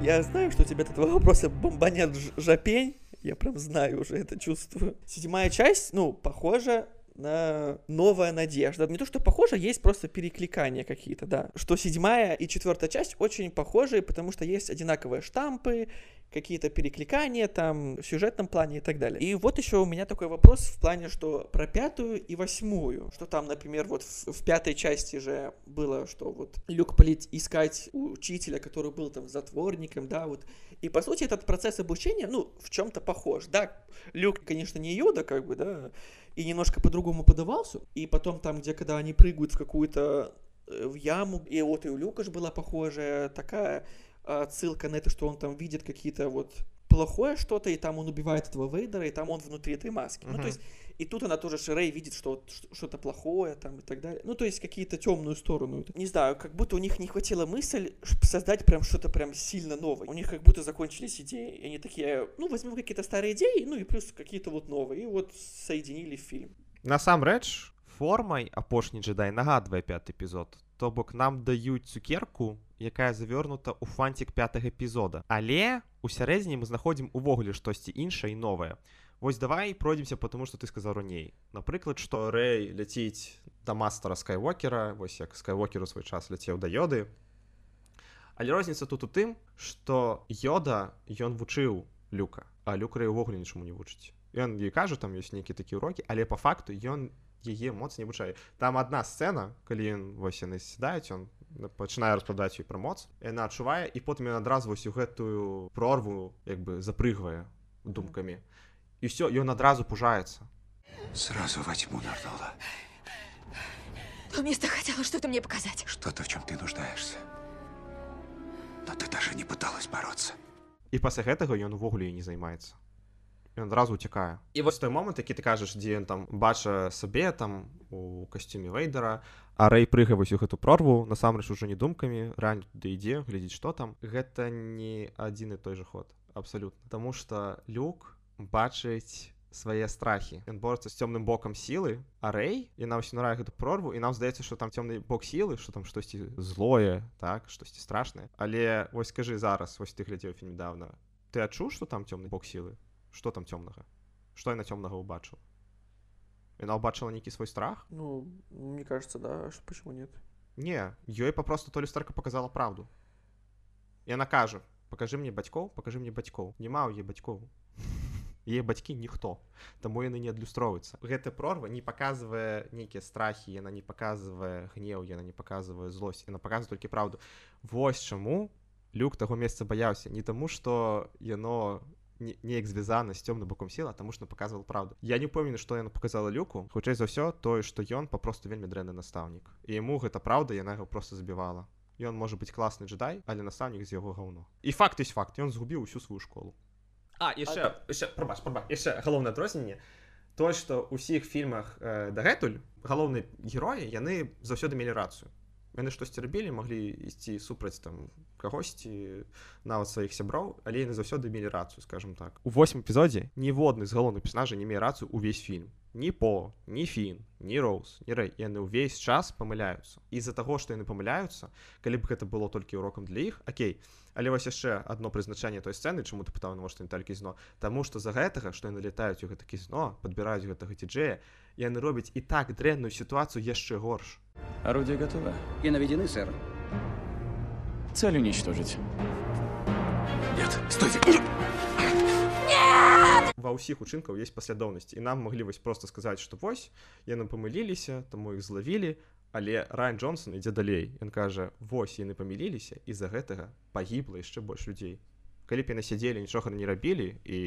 Я знаю, что у тебя от этого вопроса бомбанет жопень. Я прям знаю уже, это чувствую. Седьмая часть, ну, похожа на «Новая надежда». Не то, что похоже, есть просто перекликания какие-то, да. Что седьмая и четвертая часть очень похожи, потому что есть одинаковые штампы, какие-то перекликания там в сюжетном плане и так далее. И вот еще у меня такой вопрос в плане, что про пятую и восьмую. Что там, например, вот в, в пятой части же было, что вот Люк полетит искать учителя, который был там затворником, да, вот. И по сути этот процесс обучения, ну, в чем-то похож. Да, Люк, конечно, не Йода, как бы, да, и немножко по-другому подавался. И потом там, где когда они прыгают в какую-то в яму, и вот и у Люка же была похожая такая отсылка на это, что он там видит какие-то вот плохое что-то, и там он убивает этого Вейдера, и там он внутри этой маски. Uh-huh. Ну, то есть, и тут она тоже, Рей видит, что что-то плохое там и так далее. Ну, то есть, какие-то темную сторону. Не знаю, как будто у них не хватило мысль создать прям что-то прям сильно новое. У них как будто закончились идеи, и они такие, ну, возьмем какие-то старые идеи, ну, и плюс какие-то вот новые, и вот соединили в фильм. Насамрэч, формай апошні джедай нагадвае пяты эпізод. То бок нам даюць цукерку, якая завернута ў фантик пятага эпізода. Але у сярэдзіне мы знаходзім увогуле штосьці іншае і новае. Вось давай пройдземся по тому, што ты сказаў раней. Напрыклад, што Рэй ляціць да мастера Скайуокера, вось як Скайуокер у свой час ляцеў да Йоды. Але розніца тут у тым, што Йода, ён вучыў Люка, а Люк Рэй увогуле нічому не вучыць. Ён ёй кажа, там ёсць нейкія такія урокі, але па факту ён яе моц не вучае. Там адна сцэна, калі ён вось яны сядаюць, ён пачынае распрадаць ёй пра моц, яна адчувае, і потым ён адразу вось у гэтую прорву як бы запрыгвае думкамі. І ўсё, ён адразу пужаецца. Сразу во тьму нырнула. То место хотело что-то мне показать. Что-то, в чем ты нуждаешься. Но ты даже не пыталась бороться. І пасля гэтага ён увогуле не займаецца. Ён адразу уцякае. І вось той момант, які ты кажаш, дзе ён там бача сабе там у касцюме Вейдера, а Рэй прыгае вось у гэту прорву, насамрэч ужо не думкамі, рань туды ідзе, глядзіць, што там. Гэта не адзін і той жа ход, абсалютна. Таму што Люк бачыць свае страхі. Ён борецца з цёмным бокам сілы, а Рэй, яна ўсё нырае гэту прорву, і нам здаецца, што там цёмны бок сілы, што там штосьці злое, так, штосьці страшнае. Але вось скажы зараз, вось ты глядзеў фільм недавно, ты адчуў, што там цёмны бок сілы? Што там цёмнага? Што яна цёмнага ўбачыла? Яна ўбачыла нейкі свой страх? Ну, мне кажется, да. Почему нет? Не, ёй папросту то люстэрка показала правду. Яна кажа, покажи мне бацькоў, покажи мне бацькоў. Няма ў яе бацькоў. Яе бацькі ніхто, таму яны не адлюстроўваюцца. Гэта прорва не паказвае нейкія страхі, яна не паказвае гнеў, яна не паказвае злосць, яна паказвае толькі правду. Вось чаму Люк таго месца баяўся. Не таму, што яно неяк звязана з цёмным боком сілы, а таму што паказвала правду. Я не памятаю, што яна паказала Люку, хутчэй за ўсё тое, што ён папросту вельмі дрэнны настаўнік. І яму гэта праўда, яна яго проста забівала. Ён можа быць класны джедай, але настаўнік з яго гаўно. І факт ёсць факт, ён згубіў усю сваю школу. А, яшчэ, яшчэ, прабач, прабач, яшчэ галоўнае адрозненне. Тое, што ў усіх фільмах э, дагэтуль галоўныя героі, яны заўсёды мелі рацыю. Яны штосьці рабілі, маглі ісці супраць там кагосьці, нават сваіх сяброў, але яны заўсёды мелі рацыю, скажем так. У восьмым эпізодзе ніводны з галоўных персанажаў не мее рацыю ўвесь фільм. Ні По, ні Фін, ні Роуз, ні Рэй. Яны ўвесь час памыляюцца. І з-за таго, што яны памыляюцца, калі б гэта было толькі урокам для іх, акей. Але вось яшчэ адно прызначэнне той сцэны, чаму ты пытаў, навошта не толькі казіно, таму што з-за гэтага, што яны летаюць у гэта казіно, падбіраюць гэтага ці-джэя, яны робяць і так дрэнную сітуацыю яшчэ горш. Орудие готово. И наведены, сэр. Цель уничтожить. Нет, стойте! Ва ўсіх учынкаў ёсць паслядоўнасць, і нам маглі вось проста сказаць, што вось, яны памыліліся, таму іх злавілі, Але Райан Джонсон ідзе далей. Ён кажа, вось яны памыліліся, і з-за гэтага пагібла яшчэ больш людзей. Калі б яны сядзелі, нічога не рабілі і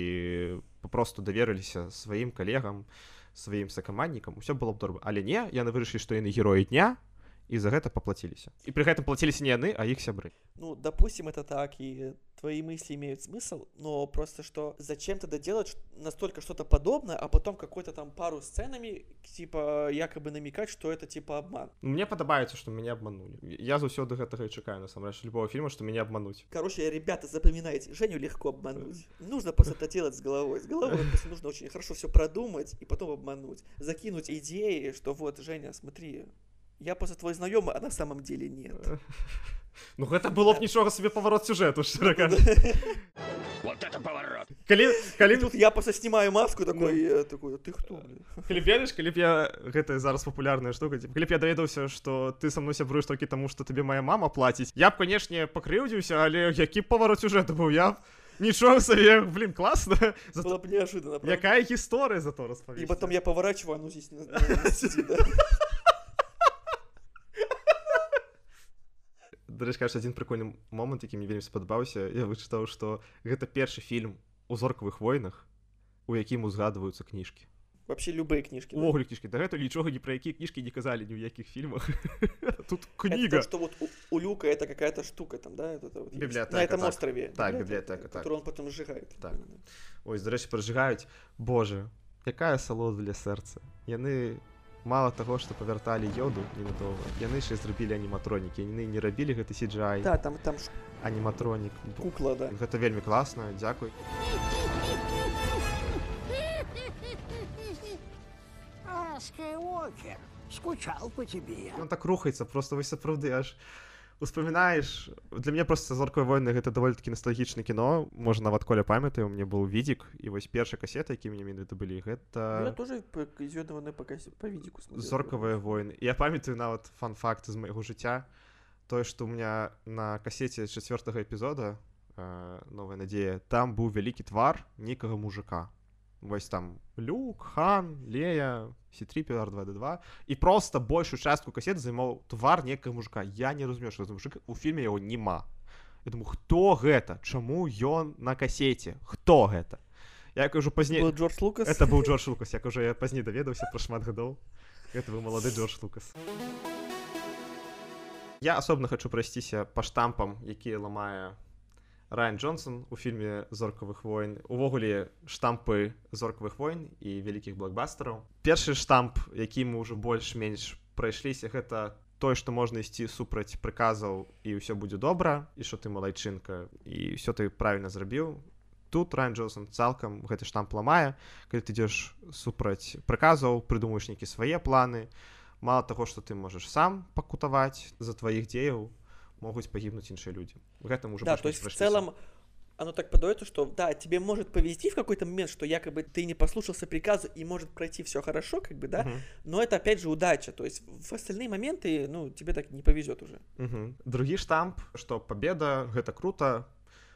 папросту даверыліся сваім калегам, сваім сакаманднікам, усё было б добра. Але не, яны вырашылі, што яны героі дня, і за гэта паплаціліся. І пры гэтым плаціліся не яны, а іх сябры. Ну, допустим, это так, и твои мысли имеют смысл, но просто что зачем тогда делать настолько что-то подобное, а потом какой-то там пару сценами, типа, якобы намекать, что это типа обман. Мне падабаецца, што мяне абманулі. Я заўсёды гэтага і чакаю, насамрэч, любого фільма, што мяне абмануць. Короче, ребята, запоминайте, Женю легко обмануть. Нужно просто это делать с головой. С головой просто нужно очень хорошо все продумать и потом обмануть. Закинуть идеи, что вот, Женя, смотри, я просто твой знакомый, а на самом деле нет. Ну, гэта было б нічога сабе паварот сюжэту, шчыра кажучы. Вот это поворот! Калі, калі... Тут я просто снимаю маску такой, ну. такой, ты кто, блин? Калі б ведаеш, калі б я... Гэта зараз папулярная штука. Калі б я даведаўся, што ты са мной сябруеш толькі таму, што табе моя мама плаціць, я б, канешне, пакрыўдзіўся, але які б паварот сюжэту быў? Я б... Нічога сабе, блин, классно. Зато... Было б неожиданно, правда? Якая гісторыя зато распавесці. И потом я поворачиваю, ну здесь... На, на, на, да? Дарэчы, кажется, один прикольны момант, які мне вельмі спадабаўся. Я вычытаў, што гэта першы фільм у зоркавых войнах, у якім узгадваюцца кніжкі. Вообще любые книжки. Увогуле кніжкі. Да гэта нічога ні пра якія кніжкі не казалі ні ў якіх фільмах. Тут кніга. Это то, что вот у, у Люка это какая-то штука там, да? Это, вот библиотека. На этом так. острове. Так, библиотека, так. Которую он потом сжигает. Так. Ой, дарэчы, прожигаюць. Боже, якая салода для сэрца. Яны... Мало таго, што павярталі ёду ненадоўга, яны яшчэ зрабілі аніматронікі, яны не рабілі гэты си джи ай. Да, там, там ш... аніматронік. Кукла, да. Гэта вельмі класна, дзякуй. А, Скайуокер, скучал по тебе. Ён так рухаецца, просто вось сапраўды аж успамінаеш. Для мяне проста «Зоркавыя войны» гэта даволі-такі настальгічнае кіно. Можа, нават Коля памятае, у мяне быў відзік, і вось першыя касеты, якія мне менавіта былі, гэта... Я тоже из «Зёдного неба» по відзіку смотрел. «Зоркавыя войны». Я памятаю нават фан-факт з майго жыцця. Тое, што ў меня на касеце чацвёртага эпізода «Новая надзея», там быў вялікі твар нейкага мужика. Вось там Люк, Хан, Лея, си три пи ар два ди два. І проста большую частку касеты займаў твар некага мужика. Я не разумею, што за мужик, у фільме яго няма. Я думаю, хто гэта? Чаму ён на касеце? Хто гэта? Я кажу пазней... Был Джордж Лукас? Это быў Джордж Лукас. Я кажу, я пазней даведаўся пра шмат гадоў. Гэта быў малады Джордж Лукас. Я асобна хачу прайсціся па штампам, якія ламае Райан Джонсон у фільме «Зоркавых войн». Увогуле штампы «Зоркавых войн» і вялікіх блокбастараў. Першы штамп, які мы ўжо больш-менш прайшліся, гэта тое, што можна ісці супраць прыказаў і ўсё будзе добра, і што ты малайчынка, і ўсё ты правільна зрабіў. Тут Райан Джонсон цалкам гэты штамп ламае. Калі ты ідзеш супраць прыказаў, прыдумаеш нейкія свае планы, мало таго, што ты можаш сам пакутаваць за тваіх дзеяў, могут погибнуть іншие люди. В этом уже да, то есть в целом оно так подается, что да, тебе может повезти в какой-то момент, что якобы ты не послушался приказа и может пройти все хорошо, как бы, да, uh-huh. но это опять же удача, то есть в остальные моменты, ну, тебе так не повезет уже. Uh-huh. Другі штамп, что победа, гэта круто,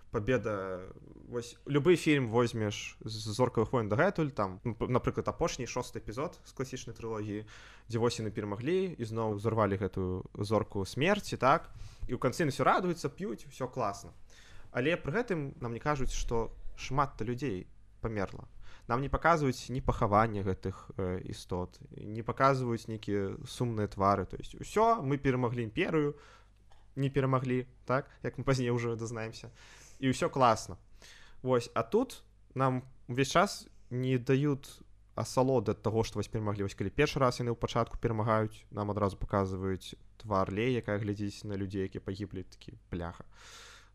победа, вось, любы фільм возьмеш з «Зоркавых войн» дагэтуль, там, напрыклад, апошні шосты эпізод з класічнай трылогіі, дзе вось яны перамаглі і зноў узорвалі гэтую зорку смерці, так, і ў канцы ўсё радуюцца, п'юць, усё класна. Але пры гэтым нам не кажуць, што шмат-то людзей памерла. Нам не паказваюць ні пахавання гэтых э, істот, не паказваюць нейкія сумныя твары. То есть усё, мы перамаглі імперыю, не перамаглі, так, як мы пазней ўжо дазнаемся. І ўсё класна. Вось, а тут нам увесь час не даюць асалоды ад таго, што вось перамаглі. Вось калі першы раз яны ў пачатку перамагаюць, нам адразу паказваюць твар Леі, якая глядзіць на людзей, якія пагіблі, такі бляха.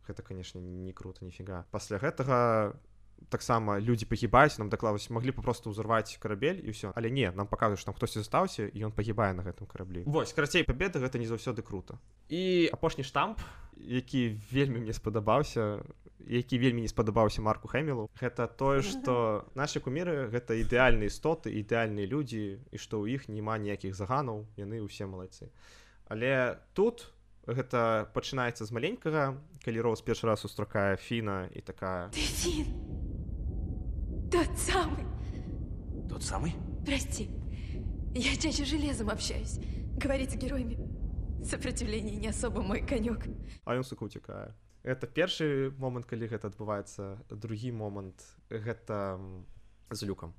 Гэта, канешне, не круто, ніфіга. Пасля гэтага таксама людзі пагібаюць, нам дакладваюць, маглі папросту ўзарваць карабель і ўсё. Але не, нам паказваюць, што там хтосьці застаўся і ён пагібае на гэтым караблі. Вось, карацей, пабеда гэта не заўсёды круто. І апошні штамп, які вельмі мне спадабаўся, які вельмі не спадабаўся Марку Хэмілу, гэта тое, што нашы куміры гэта ідэальныя істоты, ідэальныя людзі, і што ў іх няма ніякіх заганаў, яны ўсе малайцы. Але тут гэта пачынаецца з маленькага, калі Роуз першы раз устракае Фіна і такая... Ты Фін! Тот самый! Тот самый? Прости, я чаще железом общаюсь. Говорить с героями. Сопротивление не особо мой конек. А ён, сука, уцякае. Гэта першы момант, калі гэта адбываецца. Другі момант гэта з Люкам.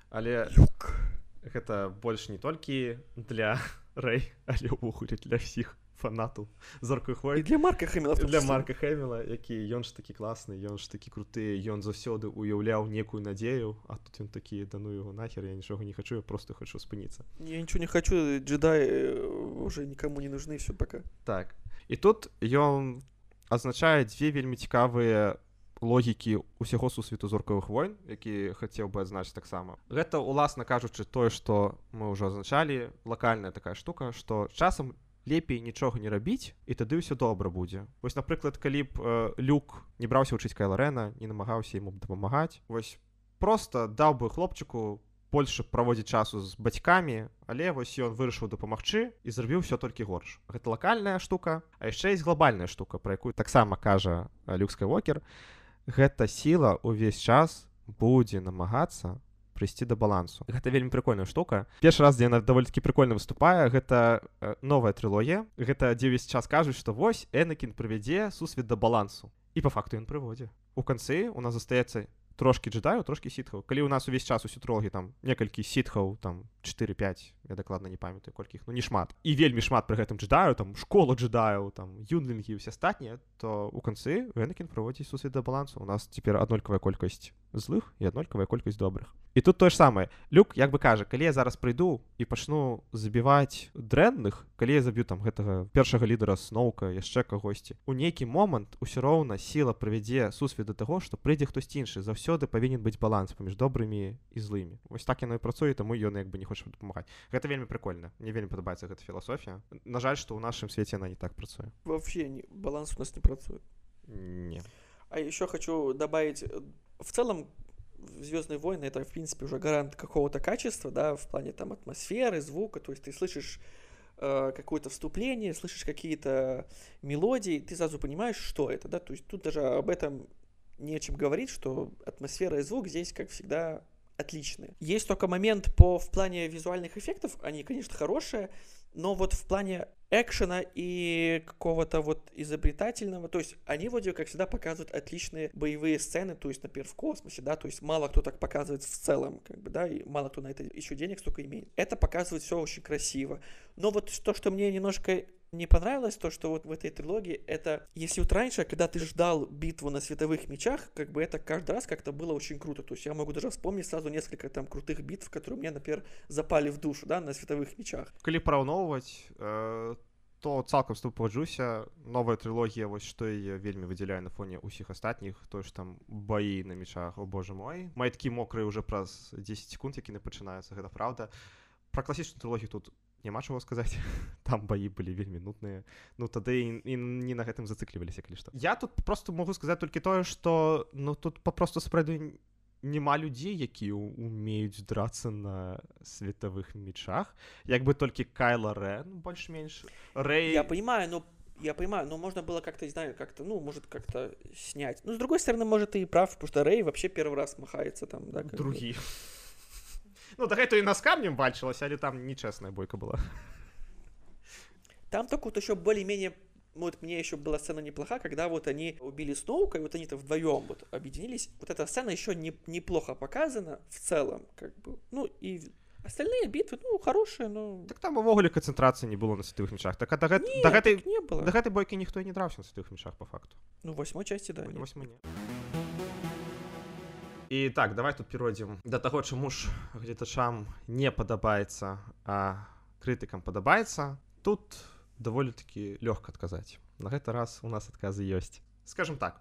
Але Люк. Гэта больш не толькі для Рэй, але ўвогуле для ўсіх фанатаў Зоркавых войн. І для Марка Хэміла. Для Марка Хэміла, які ён ж такі класны, ён ж такі круты, ён заўсёды уяўляў некую надзею, а тут ён такі, да ну яго нахер, я нічога не хочу, я просто хочу спыніцца. Я нічого не хочу, джедаи уже никому не нужны, все, пока. Так. І тут ён азначае дзве вельмі цікавыя логікі ўсяго сусвету Зоркавых войн, які хацеў бы адзначыць таксама. Гэта, уласна кажучы, тое, што мы ўжо азначалі, лакальная такая штука, што часам лепей нічога не рабіць, і тады ўсё добра будзе. Вось, напрыклад, калі б э, Люк не браўся вучыць Кайла Рэна, не намагаўся яму дапамагаць, вось проста даў бы хлопчыку больш праводзіць часу з бацькамі, але вось ён вырашыў дапамагчы і зрабіў ўсё толькі горш. Гэта лакальная штука, а яшчэ ёсць глобальная штука, пра якую таксама кажа Люк Скайуокер. Гэта сіла ўвесь час будзе намагацца прыйсці да балансу. Гэта вельмі прикольная штука. Першы раз, дзе яна даволі-такі прикольна выступае, гэта э, новая трылогія. Гэта дзе ўвесь час кажуць, што вось Энакін прывядзе сусвет да балансу. І па факту ён прыводзе. У канцы у нас застаецца трошкі джедаю, трошкі сітхаў. Калі у нас увесь час у трылогіі там некалькі сітхаў, там чатыры-пяць, я дакладна не памятаю, колькі іх, ну не шмат. І вельмі шмат пры гэтым джедаю, там школа джедаю, там юнлінгі і ўсе астатнія, то у канцы Энакін прыводзіць сусвет да балансу. У нас цяпер аднолькавая колькасць злых і аднолькавая колькасць добрых. І тут тое ж самае. Люк як бы кажа, калі я зараз прыйду і пачну забіваць дрэнных, калі я заб'ю там гэтага першага лідара Сноука, яшчэ кагосьці, у нейкі момант усё роўна сіла прывядзе сусвет да таго, што прыйдзе хтось іншы. Заўсёды павінен быць баланс паміж добрымі і злымі. Вось так яно і працуе, таму ён як бы не хоча дапамагаць. Гэта вельмі прикольна. Мне вельмі падабаецца гэта філасофія. На жаль, што ў нашым свеце яна не так працуе. Вообще не, баланс у нас не працует. Не. А еще хочу добавить, в целом «Звездные войны» — это, в принципе, уже гарант какого-то качества, да, в плане там атмосферы, звука, то есть ты слышишь э, какое-то вступление, слышишь какие-то мелодии, ты сразу понимаешь, что это, да, то есть тут даже об этом не о чем говорить, что атмосфера и звук здесь, как всегда, отличные. Есть только момент по, в плане визуальных эффектов, они, конечно, хорошие, но вот в плане экшена и какого-то вот изобретательного, то есть они вроде как всегда показывают отличные боевые сцены, то есть, например, в космосе, да, то есть мало кто так показывает в целом, как бы, да, и мало кто на это еще денег столько имеет. Это показывает все очень красиво. Но вот то, что мне немножко не понравилось, то, что вот в этой трилогии, это, если вот раньше, когда ты ждал битву на световых мечах, как бы это каждый раз как-то было очень круто, то есть я могу даже вспомнить сразу несколько там крутых битв, которые мне, например, запали в душу, да, на световых мечах. Калі параўноўваць, э, то цалкам з тобой пагаджуся. Новая трылогія, вось што яе вельмі выдзяляе на фоне ўсіх астатніх, тое ж там баі на мечах, о боже мой. Майткі мокрыя ўжо праз дзесяць секунд, які не пачынаюцца, гэта праўда. Пра класічную трылогію тут няма чаго сказаць. Там баі былі вельмі нудныя. Ну тады і, і не на гэтым зацыкліваліся, калі што. Я тут просто могу сказаць толькі тое, што ну тут папросту сапраўды няма людзей, якія умеюць драцца на световых мечах. Як бы толькі Кайла Рен больш-менш. Рэй... Я понимаю, но я понимаю, но можно было как-то, не знаю, как-то, ну, может, как-то снять. Ну, с другой стороны, может, ты и прав, потому что Рэй вообще первый раз махается там, да? Другі. Бы. Ну, да гэта і на з камнем бачылась, але там нечестная бойка была. Там только вот еще более-менее, вот мне еще была сцена неплоха, когда вот они убили Сноука, и вот они-то вдвоем вот объединились. Вот эта сцена еще не, неплохо показана в целом, как бы. Ну, и остальные битвы, ну, хорошие, но... Так там увогуле канцэнтрацыі не было на световых мечах. Так а да, Нет, да, гэтай, так не было. Да гэтай бойкі ніхто і не драўся на световых мечах, по факту. Ну, в восьмой части, да. В восьмой не. І так, давай тут перайдзем да таго, чаму ж гледачам не падабаецца, а крытыкам падабаецца. Тут даволі-такі лёгка адказаць. На гэты раз у нас адказы ёсць. Скажем так,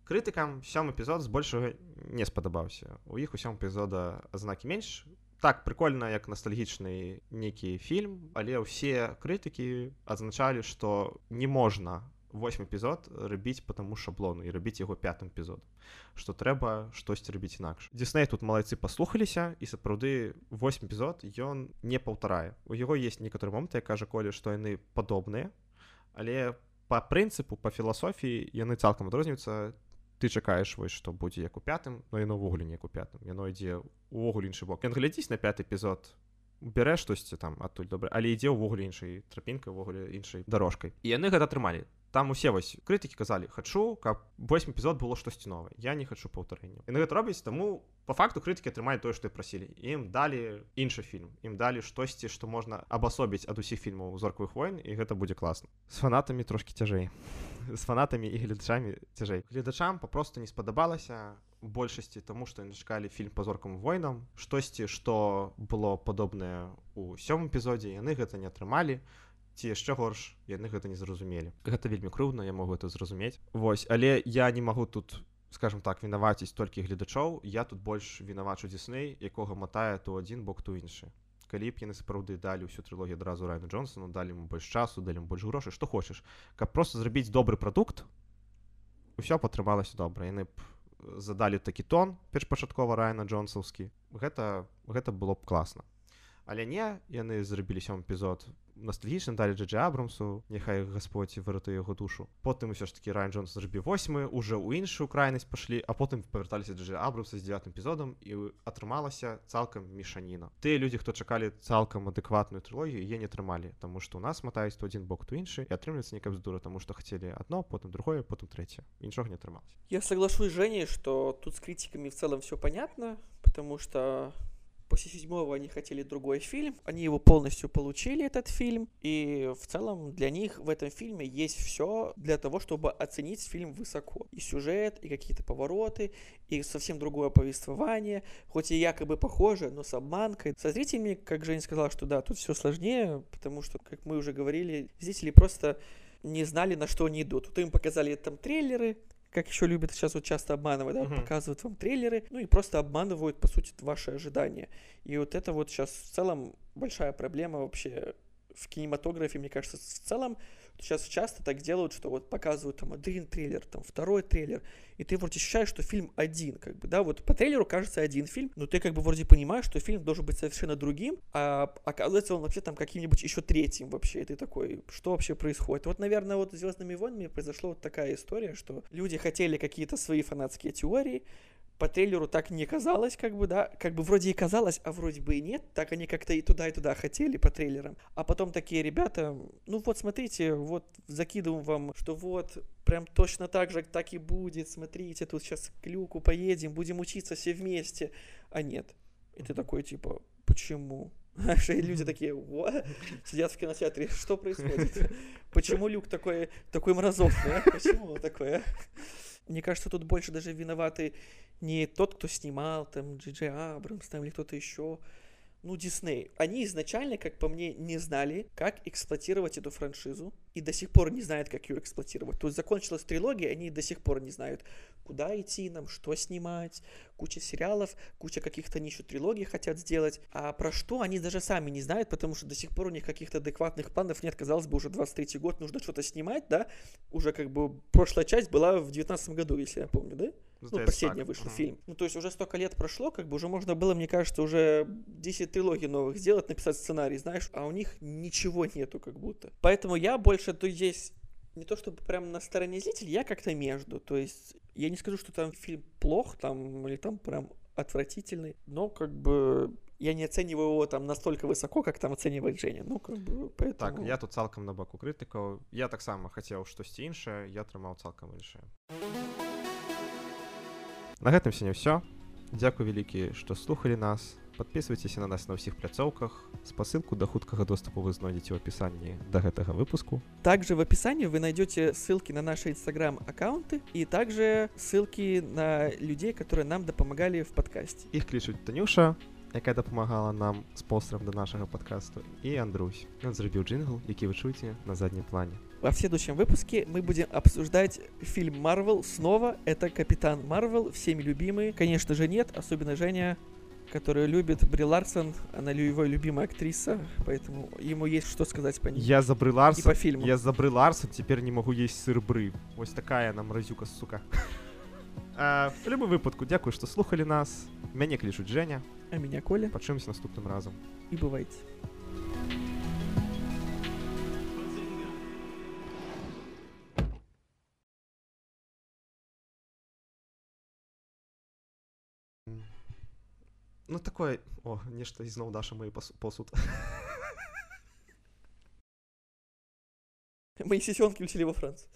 крытыкам сёмы эпізод збольшага не спадабаўся. У іх у сёмым эпізода азнакі менш. Так, прикольна, як ностальгічны нейкі фільм, але ўсе крытыкі адзначалі, што не можна восьмы эпізод рабіць по таму шаблону і рабіць яго пятым эпізодам, што трэба штосьці рабіць інакш. Дисней тут малайцы паслухаліся, і сапраўды восьмы эпізод ён не паўтарае. У яго есть некаторыя моманты, як кажа Коля, што яны падобныя, але па прынцыпу, па філасофіі яны цалкам адрозніваюцца. Ты чакаеш, вось, што будзе як у пятым, но яно ўвогуле не як у пятым. Яно ідзе ўвогуле іншы бок. Ён глядзіць на пяты эпізод, бярэ штосьці там адтуль добра, але ідзе ўвогуле іншай трапінкай, увогуле іншай дарожкай. І яны гэта атрымалі. Там усе вось крытыкі казалі, хачу, каб восьмы эпізод было штосьці новае. Я не хачу паўтарэння. Яны гэта робяць, таму па факту крытыкі атрымалі тое, што і прасілі. Ім далі іншы фільм. Ім далі штосьці, што можна абасобіць ад усіх фільмаў зоркавых войн, і гэта будзе класна. З фанатамі трошкі цяжэй. З фанатамі і гледачамі цяжэй. Гледачам папросту не спадабалася у большасці, таму што яны чакалі фільм па зоркавым войнам. Штосьці, што было падобнае ў сёмым эпізодзе, яны гэта не атрымалі. Ці яшчэ горш, яны гэта не зразумелі. Гэта вельмі крыўдна, я магу гэта зразумець. Вось, але я не магу тут, скажем так, вінаваціць толькі гледачоў. Я тут больш вінавачу Дисней, якога матае то адзін бок, то іншы. Калі б яны сапраўды далі ўсю трылогію адразу Райану Джонсону, далі ему больш часу, далі ему больш грошай, што хочаш. Каб проста зрабіць добры прадукт, усё патрымалася добра. Яны б задалі такі тон першапачаткова Райана Джонсаўскі. Гэта, гэта было б класна. Але не, яны зрабілі сёмы эпізод ностальгічна, далі Джей Джей Абрамсу, няхай Гасподь выратуе яго душу. Потым усё ж такі Райан Джонсон зрабіў восьмы, уже ў іншую крайнасць пашлі, а потым павярталіся Джей Джей Абрамса з дзевятым эпізодам і атрымалася цалкам мешаніна. Тыя людзі, хто чакалі цалкам адэкватную трылогію, яе не атрымалі, таму што ў нас матаюць то адзін бок, то іншы, і атрымліваецца некая бздура, таму што хацелі адно, потым другое, потым трэцяе. Нічога не атрымалася. Я соглашусь с Женей, что тут с критиками в целом все понятно, потому что после седьмого они хотели другой фильм, они его полностью получили, этот фильм, и в целом для них в этом фильме есть все для того, чтобы оценить фильм высоко. И сюжет, и какие-то повороты, и совсем другое повествование, хоть и якобы похоже, но с обманкой. Со зрителями, как Женя сказала, что да, тут все сложнее, потому что, как мы уже говорили, зрители просто не знали, на что они идут. Тут им показали там трейлеры, как еще любят сейчас вот часто обманывать, да, uh-huh. показывают вам трейлеры, ну и просто обманывают, по сути, ваши ожидания. И вот это вот сейчас в целом большая проблема вообще в кинематографе, мне кажется, в целом. Сейчас часто так делают, что вот показывают там один трейлер, там второй трейлер, и ты вроде ощущаешь, что фильм один, как бы, да, вот по трейлеру кажется один фильм, но ты как бы вроде понимаешь, что фильм должен быть совершенно другим, а оказывается он вообще там каким-нибудь еще третьим вообще, и ты такой, что вообще происходит? Вот, наверное, вот с «Звездными войнами» произошла вот такая история, что люди хотели какие-то свои фанатские теории, по трейлеру так не казалось, как бы, да, как бы вроде и казалось, а вроде бы и нет, так они как-то и туда, и туда хотели по трейлерам, а потом такие ребята, ну вот смотрите, вот закидываем вам, что вот прям точно так же так и будет, смотрите, тут сейчас к люку поедем, будем учиться все вместе, а нет, и ты такой типа, почему? И люди такие, what? Сидят в кинотеатре, что происходит? Почему Люк такой, такой мразотный, а? Почему такое? Мне кажется, тут больше даже виноваты не тот, кто снимал, там, Джей Джей Абрамс, там, или кто-то еще, ну, Дисней. Они изначально, как по мне, не знали, как эксплуатировать эту франшизу, и до сих пор не знают, как ее эксплуатировать. То есть закончилась трилогия, они до сих пор не знают, куда идти нам, что снимать, куча сериалов, куча каких-то они еще трилогий хотят сделать, а про что они даже сами не знают, потому что до сих пор у них каких-то адекватных планов нет. Казалось бы, уже двадцать третий год, нужно что-то снимать, да, уже как бы прошлая часть была в девятнадцатом году, если я помню, да? Ну, последний вышел uh-huh. фильм. Ну, то есть уже столько лет прошло, как бы уже можно было, мне кажется, уже десять трилогий новых сделать, написать сценарий, знаешь, а у них ничего нету как будто. Поэтому я больше то здесь не то чтобы прям на стороне зрителей, я как-то между. То есть я не скажу, что там фильм плох, там, или там прям отвратительный, но как бы я не оцениваю его там настолько высоко, как там оценивает Женя. Ну, как бы, поэтому... Так, я тут цалкам на баку крытыкаў. Я таксама хацеў штосьці іншае, я атрымаў цалкам іншае. На гэтым сёння ўсё. Дзякуй вялікі, што слухалі нас. Подписывайтесь на нас на ўсіх пляцоўках. Спасылку да хуткага доступу вы знойдзеце ў апісанні да гэтага выпуску. Также в описании вы найдете ссылки на наши инстаграм-аккаунты и также ссылки на людей, которые нам допомагали в подкасте. Іх клічуць Танюша, якая дапамагала нам з постером до нашага подкасту, і Андрусь. Ён зрабіў джингл, які вы чуеце на заднім плане. Во следующем выпуске мы будем обсуждать фильм Марвел снова. Это Капитан Марвел, всеми любимый. Конечно же нет, особенно Женя, который любит Бри Ларсон. Она его любимая актриса, поэтому ему есть что сказать по ней. Я за Бри Ларсон, и по фильму. Я за Бри Ларсон теперь не могу есть сыр Бры. Вот такая нам мразюка, сука. А, в любым выпадку, дякую, что слухали нас. Мяне клічуць Женя. А меня Коля. Почуемся наступным разом. И бывайте. Ну такое, о, нешта ізноў Даша мой посуд. Мои сесенки улетели во Францию.